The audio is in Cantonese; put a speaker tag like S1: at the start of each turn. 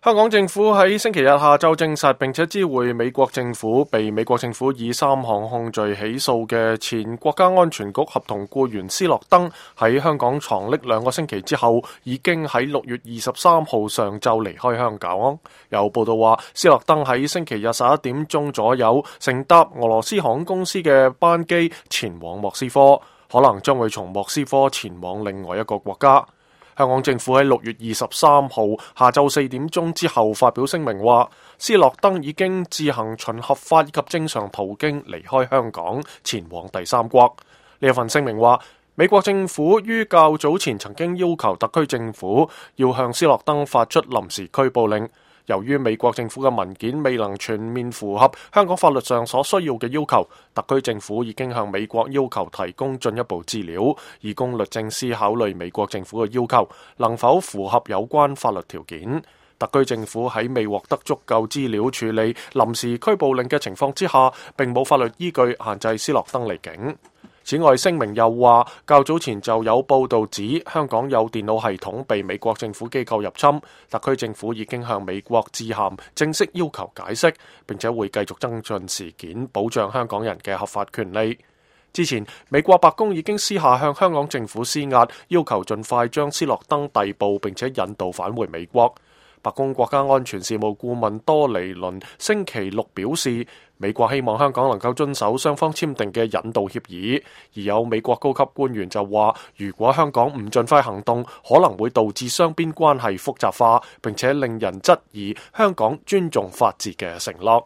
S1: 香港政府喺星期日下晝證實，並且知會美國政府，被美國政府以3項控罪起訴嘅前國家安全局合同僱員斯諾登，喺香港藏匿2個星期之後，已經喺6月23號上晝離開香港。有報道話，斯諾登喺星期日11點鐘左右乘搭俄羅斯航空公司嘅班機前往莫斯科，可能將會從莫斯科前往另外一個國家。香港政府喺6月23號下晝4點鐘之後發表聲明話，斯諾登已經自行循合法以及正常途徑離開香港，前往第三國。呢一份聲明話，美國政府於較早前曾經要求特區政府要向斯諾登發出臨時拘捕令。由於美國政府嘅文件未能全面符合香港法律上所需要嘅要求，特區政府已經向美國要求提供進一步資料，以供律政司考慮美國政府嘅要求能否符合有關法律條件。特區政府喺未獲得足夠資料處理臨時拘捕令嘅情況之下，並冇法律依據限制斯諾登離境。此外，聲明又話，較早前就有報道指香港有電腦系統被美國政府機構入侵，特區政府已經向美國致函正式要求解釋，並且會繼續跟進事件，保障香港人嘅合法權利。之前，美國白宮已經私下向香港政府施壓，要求盡快將斯諾登逮捕並且引渡返回美國。白宮國家安全事務顧問多尼倫星期六表示，美國希望香港能夠遵守雙方簽訂嘅引渡協議，而有美國高級官員就話，如果香港唔盡快行動，可能會導致雙邊關係複雜化，並且令人質疑香港尊重法治嘅承諾。